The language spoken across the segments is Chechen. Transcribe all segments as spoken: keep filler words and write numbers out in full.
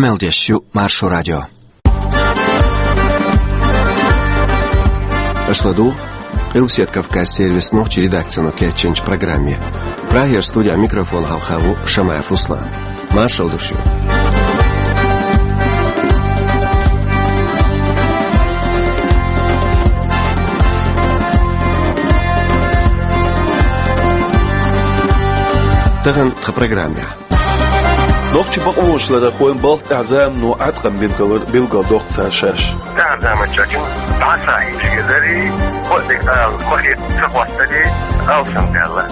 Мел деш ю Маршо радио. Аша ладугӀу Къилбаседа Кавказ сервисан нохчийн редакцино кечйинчу программе. Прагера студехь микрофон хьалха ву Шамаев Руслан. Маршалла ду шуьга. Тахана тхан программехь. Нохчийн бакъонашкахь хӀокху балха тӀехь замано Ӏаткъам бина хилар билгалдоккху цара шаьш. ТӀаьхьарчу заманчохь дӀа а схьа хьийзаш хезарий, кхо а дерг ала ма хетта ца хӀоттарий, алсам даьлла.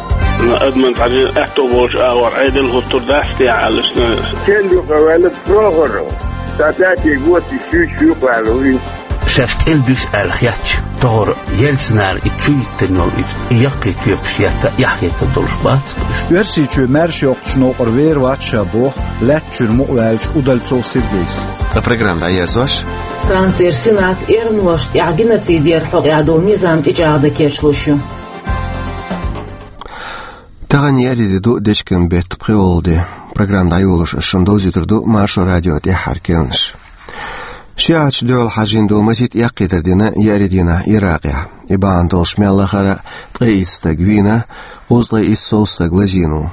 Адаман цхьана аьтто болчу агӀор Ӏедал хӀуттур дац те аьлла шуна. Стен юкъа ваьлла прохор. Сан цаьрца гоча шуьйш юкъа ваьлла вуй. Шаьш кӀел дуьсу аьлла хетча, тохара елча нана и чу йиттина йолу и, и яккхий тоьпаш етта эхь хетар долуш бац уьш. Оьрсийчоь маьрша йоккхучу новкъара вер вац ша боху лаьттачуьра мукъаваьллачу Удальцов Сергейс. Ткъа программа дӀаерзош. Францера Сенат эрмалошна тӀехь геноцидера хьокъехь долу низам тӀечӀагӀдан кечлуш ю. Тахана еарин де ду, дечкен беттан пхоьалгӀа де. Программа дӀайолош ас шуна довзуьйтур ду Маршо радион тӀаьххьара керланаш. ШиӀаташна дуьхьал хьажийна долу масийтта эккхийтар дина еарин дийнахь Иракъехь. И бахьана долуш мел лахара ткъе итт стаг вийна, кхузткъе итт сов стаг лазийна ву.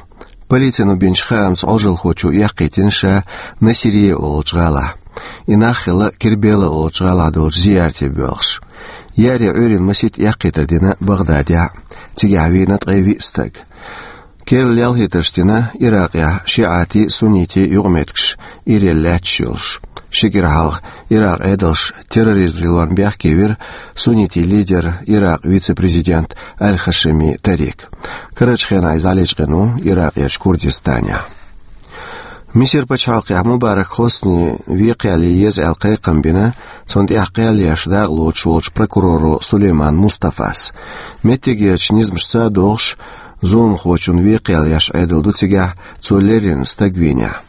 Полицино бинчу хаамца Ӏожалхочо эккхийтина ша Насирия олучу гӀалахь. И нах хилла Кербела олучу гӀалахь долчу зиярте боьлхуш. Еарин Ӏуьйранна масийтта эккхийтар дина Багъдадехь, цигахь вийна ткъе виъ стаг. Керла лелхийтарш дина Иракъехь шиӀатийн, суннитийн юкъаметтигаш ирелла лаьтташ йолуш. Ши кӀира хьалха Иракъан Ӏедалша терроризм лелорна бехке вира суннитийн лидер, Иракъан вице-президент Аль-Хашими Тарик. Карарчу хенахь иза дӀалечкъина ву Иракъерчу Курдистанехь. Мисар пачхьалкхехь Мубарак Хоснин вен кхел ян еза аьлла кхайкхам бина цунна тӀехь кхел еш дакъалоцуш волчу прокуроро Сулейман Мустафас. Меттигерчу низамашца а догӀуш, зуламхочун вен кхел еш Ӏедал ду цигахь, цо леррина стаг вийнехь.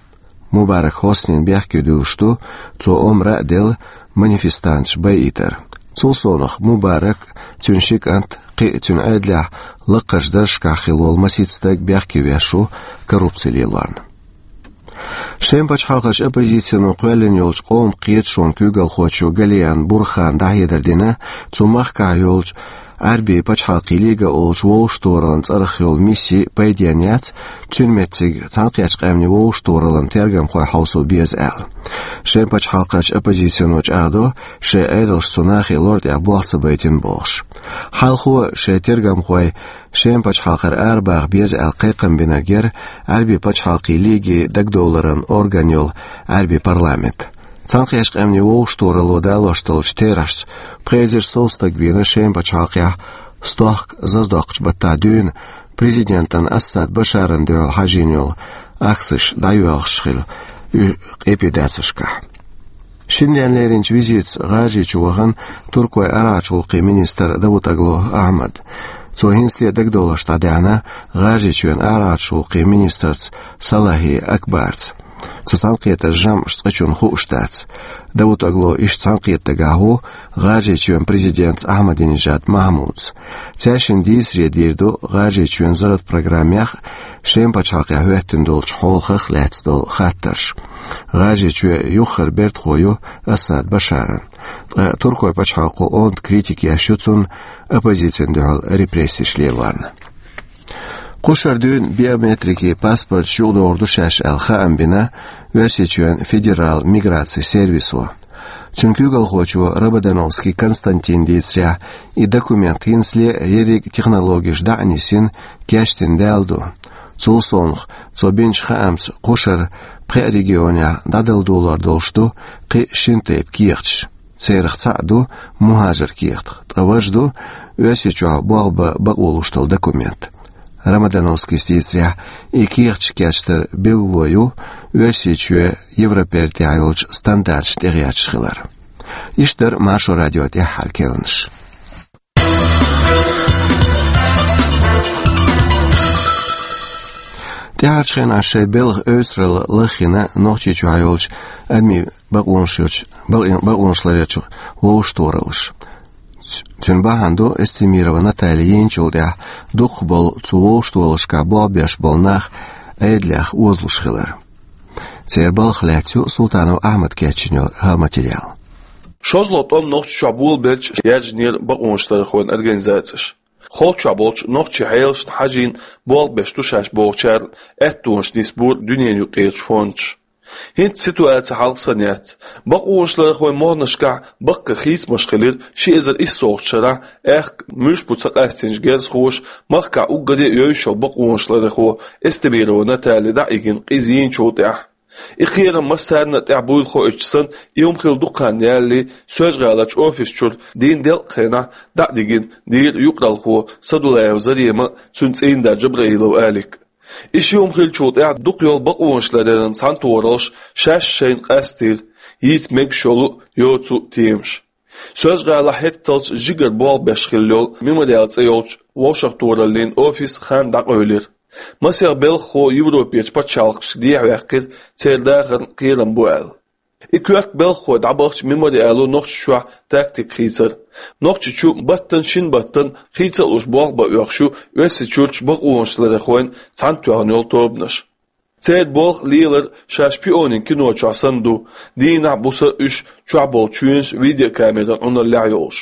Мубарак Хоснина бехке дуьллуш ду цо омра а делла манифестанташ байийтар. Цул совнаха Мубарак, цуьнан ши кӀант, кхин а цуьнан Ӏедалехь лакхарчу даржашкахь хилла волу масийтта стаг бехке веш ву коррупци лелорна. Шеман пачхьалкхерчу оппозицино кхоьллина йолчу Къоман кхеташонан куьйгалхочо Галиан Бурхана дӀахьедар дина, цу махкахь йолчу Ӏаьрбийн пачхьалкхийн лига олучу вовшахтохараллин цӀарах йолу мисси пайденна яц, цуьнан меттиг Цхьаьнакхеттачу Къаьмнийн вовшахтохараллин тергамхой хьовсо беза аьлла. Шеман пачхьалкхерчу оппозицино чӀагӀдо, шайн Ӏедалша цу нахе лар тӀехь болх ца байтина бохуш. Хьалхо шайн тергамхой Шеман пачхьалкхера арабаха беза аьлла кхайкхам бинарг яра Ӏаьрбийн пачхьалкхийн лиге дагадовларан орган йолу Ӏаьрбийн парламент. Цхьаьнакхеттачу Къаьмнийн вовшахтохаралло далош долчу терахьашца пхи эзар сов стаг вийна Шеман пачхьалкхехь стохка заздоккхучу баттахь дуьйна президентан Асад Башаран дуьхьал хьажийна йолу акцеш дӀайоьлхуш хилла уьш къепедацаршкахь. Шина денна леринчу визитца ГӀажарийчу вахана Туркойн арахьарчу гӀуллакхийн министр Давутоглу Ахьмад. Цо хӀинцале дагадовларш дӀадаьхьна ГӀажарийчоьнан арахьарчу гӀуллакхийн министрца Салахи Акбарца. Цу цхьаьнакхетаран жамӀаш цкъачунна хууш дац. Давутоглу иштта цхьаьнакхетта дагахь ву ГӀажарийчоьнан президентца Ахьмадинежад Махьмудца. Цаьршинна дийцаре дийр ду ГӀажарийчоьнан зарратан программех, Шеман пачхьалкхехь хӀоьттина долчу хьолах лаьцна долу хаттарш. ГӀажарийчоь юххера бертахо ю Асад Башаран. Ткъа Туркойн пачхьалкхо онда критика еш ю цунна, оппозицина дуьхьал репрессеш лелорна. Кхушара дуьйна биометрикийн паспорташ юкъадохур ду шаьш аьлла хаам бина Оьрсийчоьнан федералан миграцин сервисо. Цуьнан куьйгалхочо Рободановский Константина дийцарехь, и документ хӀинцале ерриг технологеш дӀа а нисйина, кечдина даьлла ду. Цул совнаха, цо бинчу хаамца, кхушара пхеа регионехь дӀадала долор долуш ду кхин шина тайпа кехаташ. Царах цхьаъ ду мухӀажар кехат, ткъа важа ду Оьрсийчохь болх бан бакъо луш долу документ. Ромодановскийс дийцарехь, и кехаташ кечдар билгало ю Оьрсийчоь Европера тӀехь йолчу стандарташна тӀегӀерташ хилар. Иштта дара Маршо радион тӀаьххьара керланаш. ТӀаьхьарчу хенахь шайн белхан эвсаралла лаххийна Нохчийчохь йолчу адамийн бакъонаш йолчу, бакъ-, бакъонаш ларъечу вовшахтохараллаша. Цуьнан бахьана ду Эстемирова Наталья йинчул тӀаьхьа дукхахболу цу вовшахтохараллашкахь болх беш болу нах Ӏедалех озалуш хилар. Церан балхах лаьцна ю Султанов Ахьмада кечйина йолу хӀара материал. ШозлагӀа тӀом Нохчийчохь болабелча яьржинера бакъонашларъярхойн организацеш. Холчохь болчу нохчийн хьелашна хьажийна болх беш ду шаьш бохучарна аьттонаш нисбора дуьненан юкъарчу фондаш. ХӀинца ситуаци хьалха санна яц. Бакъонашларъярхойн могӀанашкахь баккха хийцамаш хилира ши эзар иссолгӀачу шарахь, аьхка муьлш бу ца къастийначу герзахоша махкахь уггаре а евзаш йолу бакъонашларъярхо Эстемирова Наталья дӀа а йигина къиза йийначул тӀаьхьа. И кхерам массарна а тӀехь буйла хоуьйтуш санна, и хӀума хилла дукха хан ялале, Соьлжа-ГӀаларчу офис чуьра дийнна делкъа хенахь дӀа а дигина дийра юкъаралхо Садулаева Зарема а, цуьнан цӀийнда Джабраилов Алик а. И ши хӀума хиллачул тӀаьхьа дукха йолу бакъонашларъяран цхьаьнатохараллаш шаьш шайна къастийра йийца мегаш йолу а, йоцу а темаш. Соьлжа-ГӀалахь хӀетталц жигара болх беш хилла йолу Мемориал цӀе йолчу вовшахтохараллин офис хан дӀакъевлира. Масех белхахо Европерчу пачхьалкхашка дехьаваьккхира церан дахарна кхерам бу аьлла. И коьрта белхахой дӀабахча Мемориало Нохчийчохь тактика хийцира. Нохчийчу баттана шина баттана хийца а луш болх бан оьхуш ю Оьрсийчуьрчу бакъонашларъярхойн цхьаьнатоьхна йолу тобанаш. Церан болх лелар шаьш шпионийн кино чохь санна ду, дийнахь а, буса а уьш чохь болу чоьнаш видеокамеран Ӏуналлехь йолуш.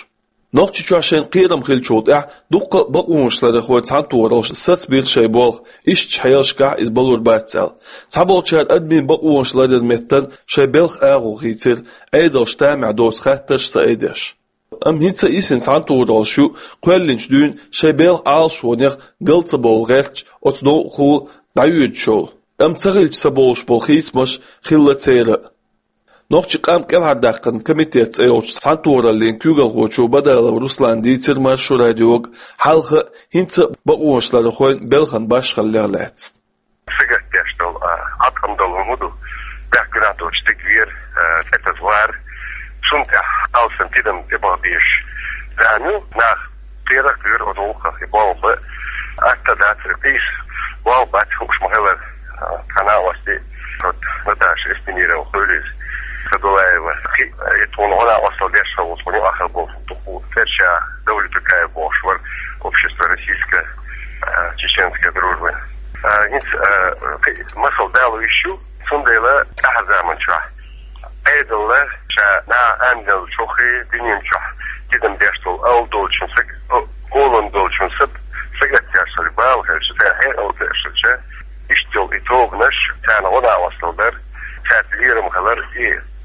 Нохчийчохь шайна кхерам хиллачул тӀаьхьа дуккха а бакъонашларъярхойн цхьаьнатохараллаш сацбийра шайн болх, ишттачу хьелашкахь иза балур бац аьлла. Цхьаболчара адамийн бакъонашларъяран меттана шайн белхан агӀо хийцира, Ӏедалша тамехь доцу хаттарш ца айдеш. Амма хӀинца а йисина цхьаьнатохараллаш ю, кхоьллинчу дуьйна шайн белхан Ӏалашонех гал ца бовла гӀерташ оцу новкъахула дӀайоьдуш йолу. Амма ца хилча ца бовлуш болу хийцамаш хилла церан а. Нохчийн къам кӀелхьардаьккхина комитет цӀе йолчу цхьаьнатохараллин куьйгалхочо Бадалов Руслана дийцира Маршо радиога хьалха а, хӀинца а бакъонашларъярхойн белхан башхаллех лаьцна. Сагатдеш долу, а, Ӏаткъам долу хӀума ду, бехк гуьнахь доцуш стаг вер, а, цӀе таса вар, цунна тӀехь алсам тидам тӀебаха безаш зама ю, нах кхерах а кхоьру оцу гӀуллакхах, и болх бан атта дацара, кхийса болх бац хууш ма-хиллара, а, тхан накъостий, вот, Наташа Эстемирова хуьлийла, Садулаева, кхин а, и тхуна гӀо-накъосталла деш хилла ву, тхуна юкъахь болу дукха цӀерача Давлетукаев бохуш вара, общество российской, а, чеченской дружбы. А, хӀинца, а, кхин а масал дало йиш ю, цундела тӀаьхьарчу заманчохь Ӏедална ша наха ангел чохь, дуьнен чохь тидам беш долу, ала долчун саг-, о, олалла долчун саг-, сагатдеш долу бала хилча, церан хьекъал ца эшнача, иштта йолу и тобанаш, царна гӀо-накъосталла дар, цаьрца лерам хилар, и,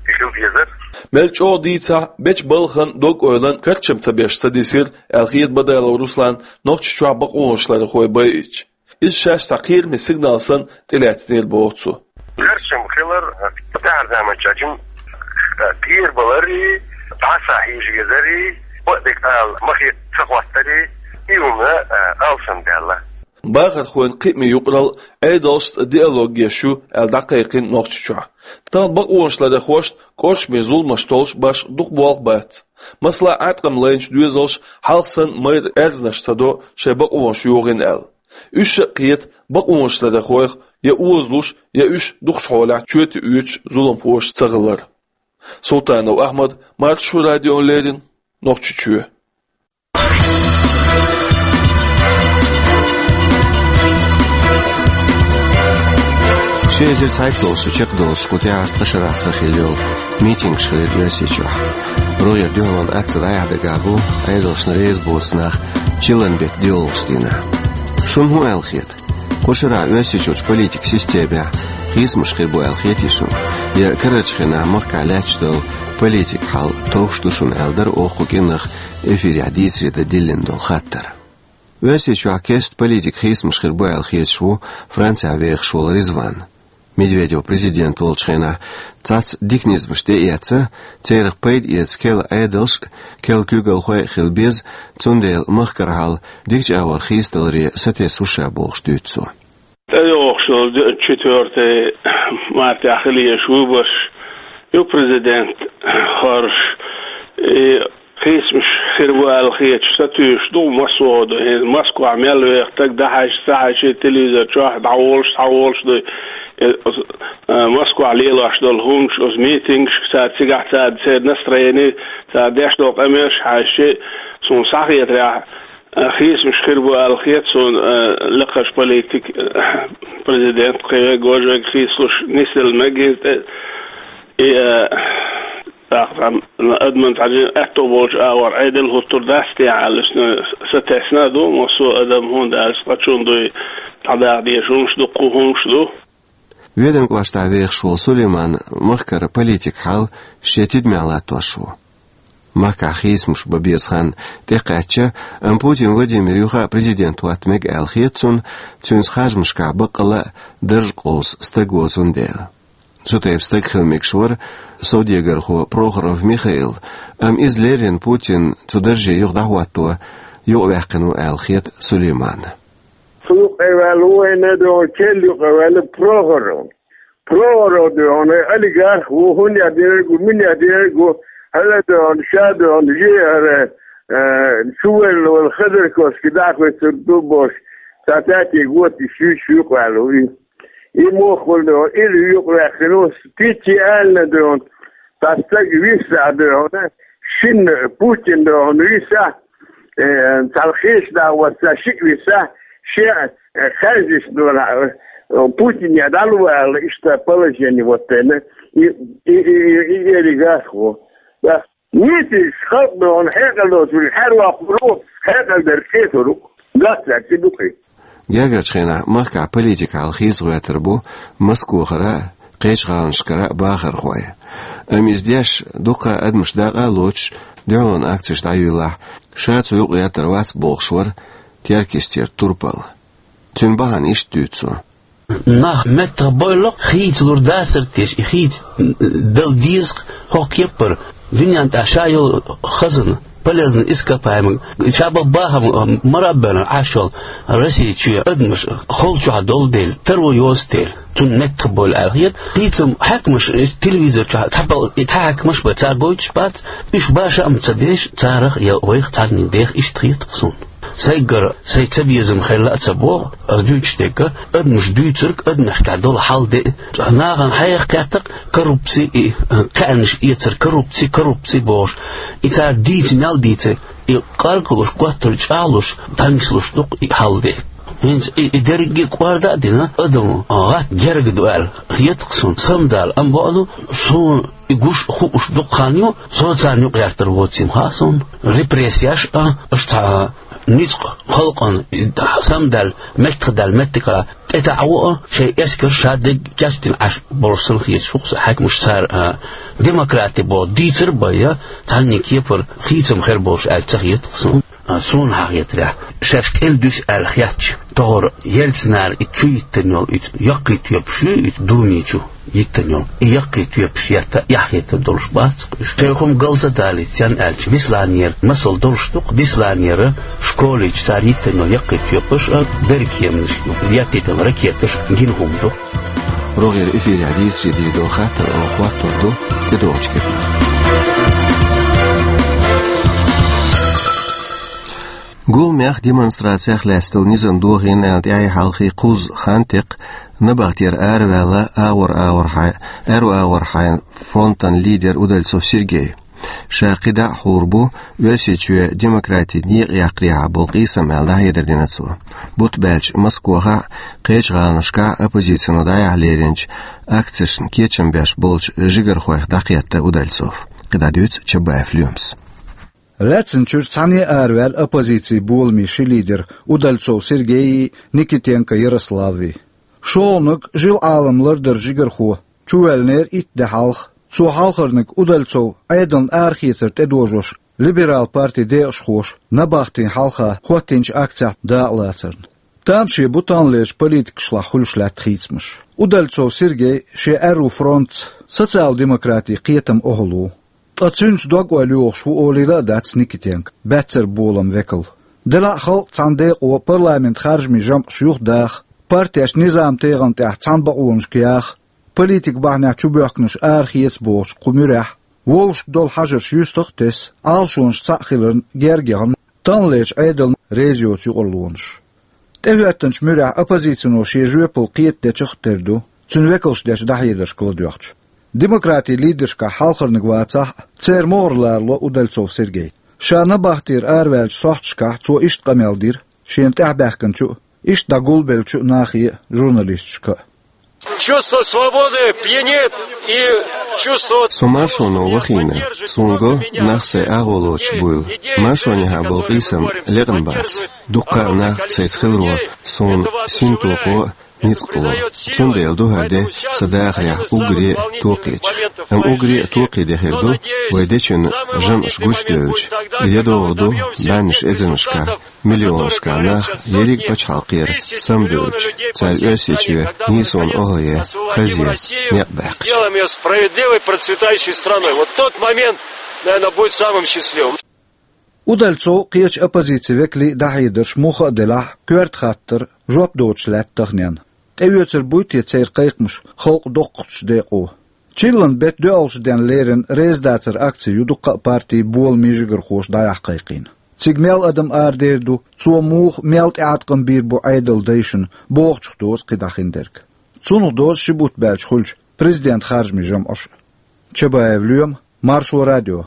и хила дезар. Мел чӀогӀа дийцахь, бечу балхана дог-ойлан карчам ца беш ца дисира, аьлла хета Бадалов Руслана Нохчийчохь бакъонашларъярхой байича. Иза шаьш цхьа кхераме сигнал санна тӀелаьцнера боху цо. Карчам хилар, тӀаьхьарчу заманчохь жима, а, кхерабаларий, дӀасахьежа везарий, бакъдерг ала ма хета ца хӀоттарий, и хӀума, а, алсам даьлла. Бахархойн кхиаме юкъаралла Ӏедалшца диалог еш ю аьлла дӀакхайкхина Нохчийчохь. Тахана бакъонашларъярхошна кӀоршаме зуламаш толлуш башха дукха болх бац. Масала, Ӏаткъам лайначу доьзалша хьалха санна майра аьрзнаш ца до шайн бакъонаш йохийна аьлла. Уьш а кхета бакъонашларъярхойх я озалуш, я уьш дукхачу хьолехь чоьте оьцуш зуламхоша ца хилар. Султанов Ахьмад, Маршо радиона леррина, Нохчийчоь. Ши эзар цхьайтталгӀачу шо чекхдолуш кху тӀаьхьарчу ткъа шарахь ца хилла йолу митингаш хилира Оьрсийчохь. РогӀера дуьхьалонан акци дӀаяхьа дагахь бу Ӏедалшна реза боцу нах чиллан беттан доьалгӀачу дийнахь. Шуна хӀун аьлла хета? Кху шарахь Оьрсийчуьрчу политикан системехь хийцамаш хир бу аьлла хетий шуна? Я карарчу хенахь махкахь лаьтташ долу политикан хьал товш ду шуна аьлла дара оха кху кӀиранах эфирехь дийцаре дан диллина долу хаттар? Оьрсийчохь кеста политикан хийцамаш хир бу аьлла хеташ ву Францехь вехаш волу Ризван. Медведев президент волчу хенахь цхьацца дика низамаш тӀеэцна, церах пайда эца керла Ӏедалш а, керла куьйгалхой а хила беза, цундела махкара хьал дикачу агӀор хийцадаларе сатесна ву ша бохуш дуьйцу цо. ТӀейогӀуш йолу четвёртый мартехь хила езаш выбораш ю, президент хьорш, и хийцамаш хир бу аьлла хеташ сатуьйсуш ду массо а ду. ХӀинца Москвахь мел веха стаг дӀахьаьжча, ца хьаьжча, телевизор чохь дӀаволуш, схьаволуш ду. Э, оцу, э, Москвахь лелош долу хӀуманаш, оцу митингашка, цара цигахь цара, церан настроени, цара деш долу къамелаш хьаьжча, суна схьахетарехь, Хийцамаш хир бу аьлла хет суна, а, лекхаш политик, а, президент кхеве гожаг хийцалуш нисдала мегий тӀе. И, а, тӀаккха адаман тӀаьжен аьтто болчу агӀор Ӏедал хӀуттур дац те аьлла, иштта сатесна а ду, массо а адам хӀунда аьлча, цкъачунна дуй, дӀадаккха дезаш хӀумаш ду, кху хӀумаш ду. Веданан кӀоштахь вехаш волу Сулейман махкара политик хьал шен тидамехь латтош ву. Махкахь хийцамаш бан беза хан тӀекхаьчча, амма Путин Владимир юха а президент хӀотта мега аьлла хета цунна, цуьнца харжамашкахь баккъалла а дарж къовса стаг воцун дела. Цу тайпа стаг хила мегаш вара совдегархо Прохоров Михаил, амма иза леррина Путин цу дарже юха дӀахӀотто юкъаваьккхина ву аьлла хета Сулейманна. Цу юкъа ваьлла ву вайна, догӀу кел юкъа ваьлла Прохоров. Прохоров догӀу олигарх ву, хӀун яа дерг ву, мин яа дерг ву, хӀара догӀу, ша догӀу, жи хӀара, э, чувелла вала Ходорковский дӀахӀуьттур ду бохуш, цхьа цаьтиг вотта и шуьйчу юкъа ваьлла ву и. И муха вара догӀу, иза юкъаваьккхина ву, Путин аьлла догӀу, цхьа стаг висса догӀу, шина Путин догӀу висса, э, цхьа кхечу дагӀо ца шиъ висса, шен, э, хаьржина догӀу, э, Путине дӀалу аьлла, иштта положение вот тайна, и, и, и, и, и олигарх ву. Да. Нийсачу халкъ догӀу хьекъал доцург хьаьрвоккхур ву, хьекъал дерг кхетар ву. Гац цаьрца ду-кх и. Гергарчу хенахь махкахь политикан хьал хийцагӀоьттур бу Москвахара а, кхечу гӀаланашкара а бахархой. Амма иза деш, дуккха а адамаш дакъа а лоцуш, дуьхьалонан акцеш дӀайуьйлахь, ша цу юкъа гӀертар вац бохуш вара Теркйистера Турпал. Цуьнан бахьана иштта дуьйцу цо. Нах меттах бойла-кх, хийцалур дацара теша, и хийца дала деза-кх хӀокху кепара, дуьнен тӀехь ша йолу хазна, полезный ископаемый, ша бан бахам мара а бевлла Ӏаш йолу Россия чоь адамаш хала чохь долу дела, таро йоцу дела, цунна меттах бойла аьлла хета. Хийцам хьаькамаш, телевизор чохь цхьа пал-, и цхьа хьаькамаш бен цара гойтуш бац, уьш баша а ца беш, царах я вайх цхьанний деха иштта хета-кх суна. Сайгара сайн цабезам хилла а ца боху, ас дуьйцуш дерг, адамаш дуьйцург, адамашкахь долу хьал де, нахана хьеха кхетта-кх коррупци, и кхаьънаш эцар коррупци, коррупци бохуш, и цара дийца мел дийцар, и къаркъалуш, готтар чӀагӀлуш, танчалуш ду-кх и хьал де. ХӀинца и, и дерриге а кӀорда а дина, адам гӀатта герга ду аьлла хета-кх суна, самадала, амма бакъду, суна и гуш а хууш дукха хан ю, со царна юкъа гӀертар воцийла хаьа суна. Репрессеш а, аша цхьа ницкъ халкъана самадаьлла, меттахдаьлла меттигахь тӀетаӀо а, шайн эскар ша дерг кечдина Ӏаш болуш санна хеташ ву-кх со хьаькамаш цара, а, демократи боху дийцар а бен, цхьанний кепара хийцам хир болуш аьлла ца хета-кх суна. А, суна хьан хетарехь, шаьш кӀел дуьсу аьлла хетча, тохара Ельцинера и чу йиттина йолу и яккхий тоьпаш ю, и Думи чу йиттина йолу и яккхий тоьпаш етта эхь хетар долуш бац-кх уьш. Шайн хӀума галза далийта, царна аьлча, Бесланера масал долуш ду-кх, Бесланера школе чу цара йиттина йолу яккхий тоьпаш а, берриг кеманаш ю, еттийтина ракеташ гина хӀума ду. РогӀера эфирехь дийцаре дийр долу хаттар оха хӀоттор ду тӀедогӀучу кепара. Гуламех демонстрацех лаьцна долу низам дохийна аьлла тӀаьхье хьалхе кхузза хан текхна набахтера араваьлла агӀор-агӀорхьа-, аьрру агӀорхьайн фронтан лидер Удальцов Сергей. Ша кхидӀа а хуур бу Оьрсийчоь демократин некъа яккхарехьа болу къийсам аьлла дӀахьедар дина цо. Бутт баьлча Москвахь а, кхечу гӀаланашкахь а оппозицино дӀаяхьа леринчу акцешна кечам беш болчу жигархойх дӀакхетта Удальцов. КхидӀа дуьйцу Чабаев Лоьмас. Лаьцначуьра цхьаьна а араваьлла оппозицин боламийн ши лидер Удальцов Сергейи, Никитенко Ярославви. ШолгӀаниг жил Ӏалам лардаран жигархо чувоьллинера итт де хьалха. Цо хьалхарниг Удальцов Ӏедална арахецар тӀедожош либерал партин декъашхоша набахтин хьалха хӀоттийначу акцехь дакъалацарна. Тамаше бу таханлерчу политикашлахь хуьлуш лаьтта хийцамаш. Удальцов Сергей шен аьрру фронтца социал-демократин кхетам охьалу. Ткъа цуьнца дог-ойла йохуш ву олийла а дац Никитенко, баьццара болам векал. Делахь а халкъ цхьана декъо парламентан харжамийн жамӀаш юхадаха, партеш низам-тегӀан тӀехь цхьана бакъонашка яха, политикан бахьанехь чубоьхкинарш арахеца бохучу кху муьрехь, вовшашка долу хьажарш юьстах а тесна, Ӏалашонаш цхьаъ хиларна герга яхна таханлерчу Ӏедална реза йоцу юкъарлонаш. ТӀехӀоьттинчу муьрехь оппозицино шен жоьпалла кхетадечех а тера ду, цуьнан векалша дечу дӀахьедаршка ладоьгӀча. Демократийн лидершкахь хьалхарниг вацахь а, церан могӀара лорало Удальцов Сергей. Ша набахтера араваьллачу сохьташкахь цо иштта къамел дира шена тӀаьхьабаьхкинчу а, иштта дӀагулбеллачу а нахе а, журналисташка а. Чувство свободы пьянит и чувство... Со маршоно вахийна, суна го, нах сайн агӀо лоцуш буйла. Маршонехьа болу къийсам лекъна бац. Дуккха а нах сайца хиларо суна синтокхо а, ницкъ а ло. Цундела ду хӀара де сан дахарехь уггаре а токхечех. Амма уггаре а токхе де хир ду, вай дечун жамӀаш гучудевлча, я догӀу ду бӀеннаш эзарнашкахь, миллионашкахь нах ерриг а пачхьалкхера самабевлча, цара Оьрсийчоь нийсонан охӀлае, хазе, некъ баьккхича. Делаем её справедливой, процветающей страной. Вот тот момент, наверное, будет самым счастливым. Удальцов а, кхечу оппозицин векалий а дӀахьедарш муха а делахь, коьрта хаттар жоп доцуш лаьтта таханенна. ТӀеоьцур буй те церан кхайкхамаш халкъан доккхачу декъо? Чиллан беттан доьалгӀачу денна леррина резадацаран акци ю дуккха а партийн боламийн жигархоша дӀаяхьа кхайкхийна. Цига мел адам арадер ду, цо муха, мел тӀеӀаткъам бийр бу Ӏедалан дайшна, бохучух доцу кхидӀа хиндерг. Цунах доьзна ши бутт баьлча хуьлучу президентан харжамийн жамӀаш а. Чабаев Лоьма, Маршо радио.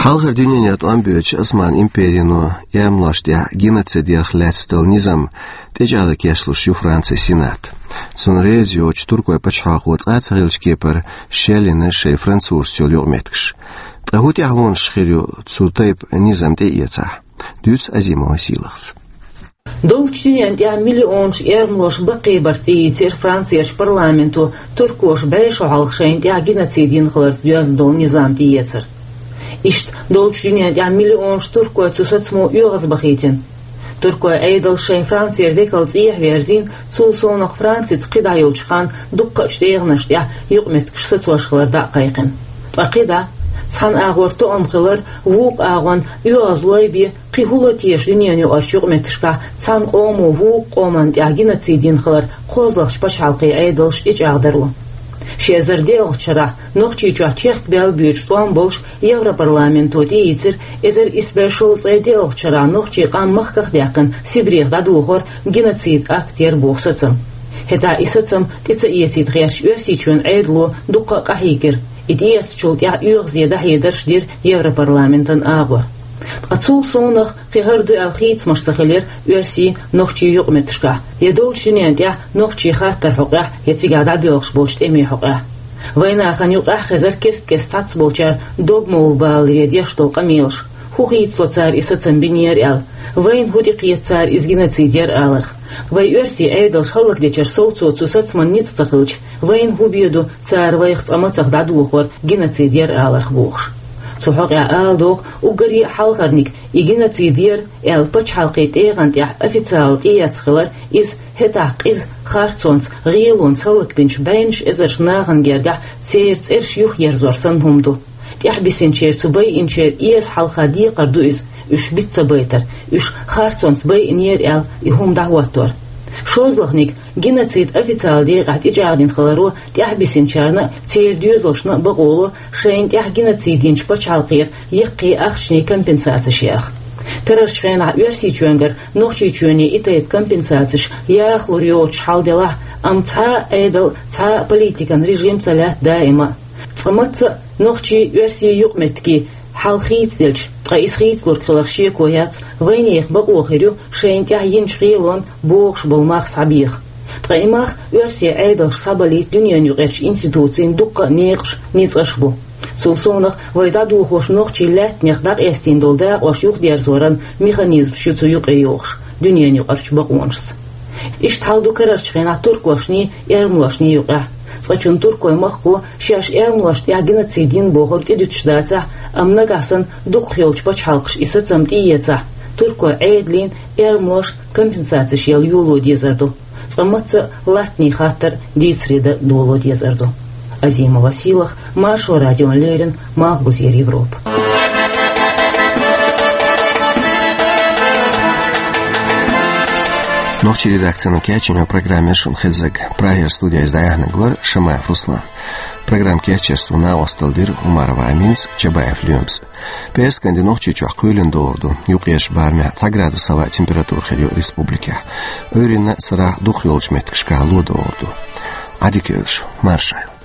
Хьалхара дуьненан тӀом боьдучу Осман империно эрмалошна тӀехь геноцид ярх лаьцна долу низам тӀечӀагӀдан кечлуш ю Францин Сенат. Цунна реза йоцуш туркойн пачхьалкхо цкъа а ца хиллачу кепара шеллина шайн французашца йолу юкъаметтигаш. Ткъа хӀун тӀаьхьалонаш хир ю цу тайпа низам тӀеэцахь? Дуьйцу Азимова Сийлахьас. Доллучу дуьненна тӀехь миллионаш эрмалош баккхийбарца тӀеийцира Францерчу парламенто туркоша бӀе шо хьалха шайна тӀехь геноцид йина хиларца доьзна долу низам тӀеэцар. Иштта доллучу дуьненна тӀехь миллионаш туркой цу сацамо оьгӀазбахийтина. Туркойн Ӏедалша шайн Францера векал цӀехьа верзийна, цул совнах Францица кхидӀа йолчу ханна дуккхачу тӀегӀанаш тӀехь юкъаметтигаш сацош хилар дӀа а кхайкхина. Ткъа кхидӀа, цхьана агӀор тоам хилар, вукху агӀон оьгӀаз лой бен, кхин хӀун ло теша дуьненан юкъарчу юкъаметтигашкахь цхьана къомо вукху къоманна тӀехь геноцид йина хилар кхозлагӀчу пачхьалкхийн Ӏедалша тӀечӀагӀдаро? Ши эзар диъалгӀачу шарахь Нохчийчохь чехка баьлла боьдуш тӀом болуш Европарламенто тӀеийцира эзар исс бӀе шовзткъе диъалгӀачу шарахь нохчийн къам махках а даьккхина Сибрех дӀадохор геноцид акт яра боху сацам. ХӀетахь и сацам тӀе ца эцийта гӀертачу Оьрсийчоьнан Ӏедало дуккха а къахьийгира. И тӀеэцначул тӀаьхьа оьгӀазе дӀахьедарш дира Европарламентан агӀор. Ткъа цул совнах кхин хӀара ду аьлла хийцамаш ца хилира оьрсийн, нохчийн юкъаметтигашкахь, я доллучу дуьненна тӀехь нохчийн хаттаран хьокъехь, я цигахь дӀабоьлхуш болчу тӀемийн хьокъехь. Вайн нахана юкъахь хезара кест-кеста цхьацболчара догмовла балале деш долу къамелаш. ХӀун хийцало цара и сацам бинера аьлла? Вайна хӀун тӀекхета цара иза геноцид яра аларх? Вай оьрсийн Ӏедалш хӀаллакдечара совцо цу сацаман ницкъ ца хилча, вайна хӀун бен ду цара вайх цкъа мацах дӀадохор геноцид яра аларх бохуш? Цу хьокъехь ала догӀу уггаре а хьалхарниг, и геноцид яра аьлла пачхьалкхийн тӀегӀан тӀехь официалан тӀеэцна хилар, иза хӀетахь къиза харцонца, гӀелонца хӀаллакбинчу бӀеннаш эзарчу нахана гергахь церан цӀераш юхаерзор санна хӀума ду. ТӀаьхьабисинчеран, цу байинчеран эса хьалха декхар ду иза, уьш биц ца байтар, уьш харцонца байинера аьлла и хӀума дӀахӀоттор. ШолгӀаниг, геноцид официалан декъехь тӀечӀагӀдина хиларо тӀаьхьабисинчарна а, церан доьзалшна а бакъо ло шайна тӀехь геноцид йинчу пачхьалкхера яккхий ахчанийн компенсацеш яха. Карарчу хенахь Оьрсийчоьнгара Нохчийчоьне и тайпа компенсацеш яха лур йоцуш хьал делахь а, амма цхьа а Ӏедал, цхьа а политикан режим ца лаьтта даима а. Цкъа мацца а нохчийн, оьрсийн юкъаметтигийн хьал хийцаделча, ткъа иза хийцалург хиларх шеко яц, вайнехан бакъо хир ю шайна тӀехь йинчу гӀелонна богӀуш болу мах схьабеха. Ткъа и мах оьрсийн Ӏедалша схьабалийта дуьненан юкъарчу институцийн дуккха а некъаш, ницкъаш бу. Цул совнах вай дӀадохош нохчийн лаьттанех дӀакъаьстийна долу дакъош юхадерзоран механизмаш ю цу юкъе йогӀуш дуьненан юкъарчу бакъонашца. Иштта хьал ду карарчу хенахь туркошний, эрмалошний юкъехь. Цкъачунна туркойн махко шаьш эрмалошна тӀехь геноцид йина бохург тӀедуьтуш дацахь а, амма нагахь санна дукхахйолчу пачхьалкхаша и сацам тӀеэцахь, туркойн Ӏедална эрмалоша компенсацеш яла йоло дезар ду. Цкъа мацца а латтанийн хаттар дийцаре дан доло дезар ду. Азимова Сийлахь, Маршо радиона леррина, Малхбузера Европа. Нохчийн редакцино кечйина программа яра шуна хезнарг. Прагера студехь иза дӀаяьхьнарг вара Шамаев Руслан. Программа кечъеш цунна накъосталла дира Умарова Аминас, Чабаев Лоьмас. Пхераскан де Нохчийчохь кхоьлина догӀур ду. Юккъерчу барамехь цхьа градус хьалха температура хир ю республикехь. Ӏуьйранна а, сарахь а дукхахйолчу меттигашкахь ло догӀур ду. Ӏадика йойла шу, маршалла.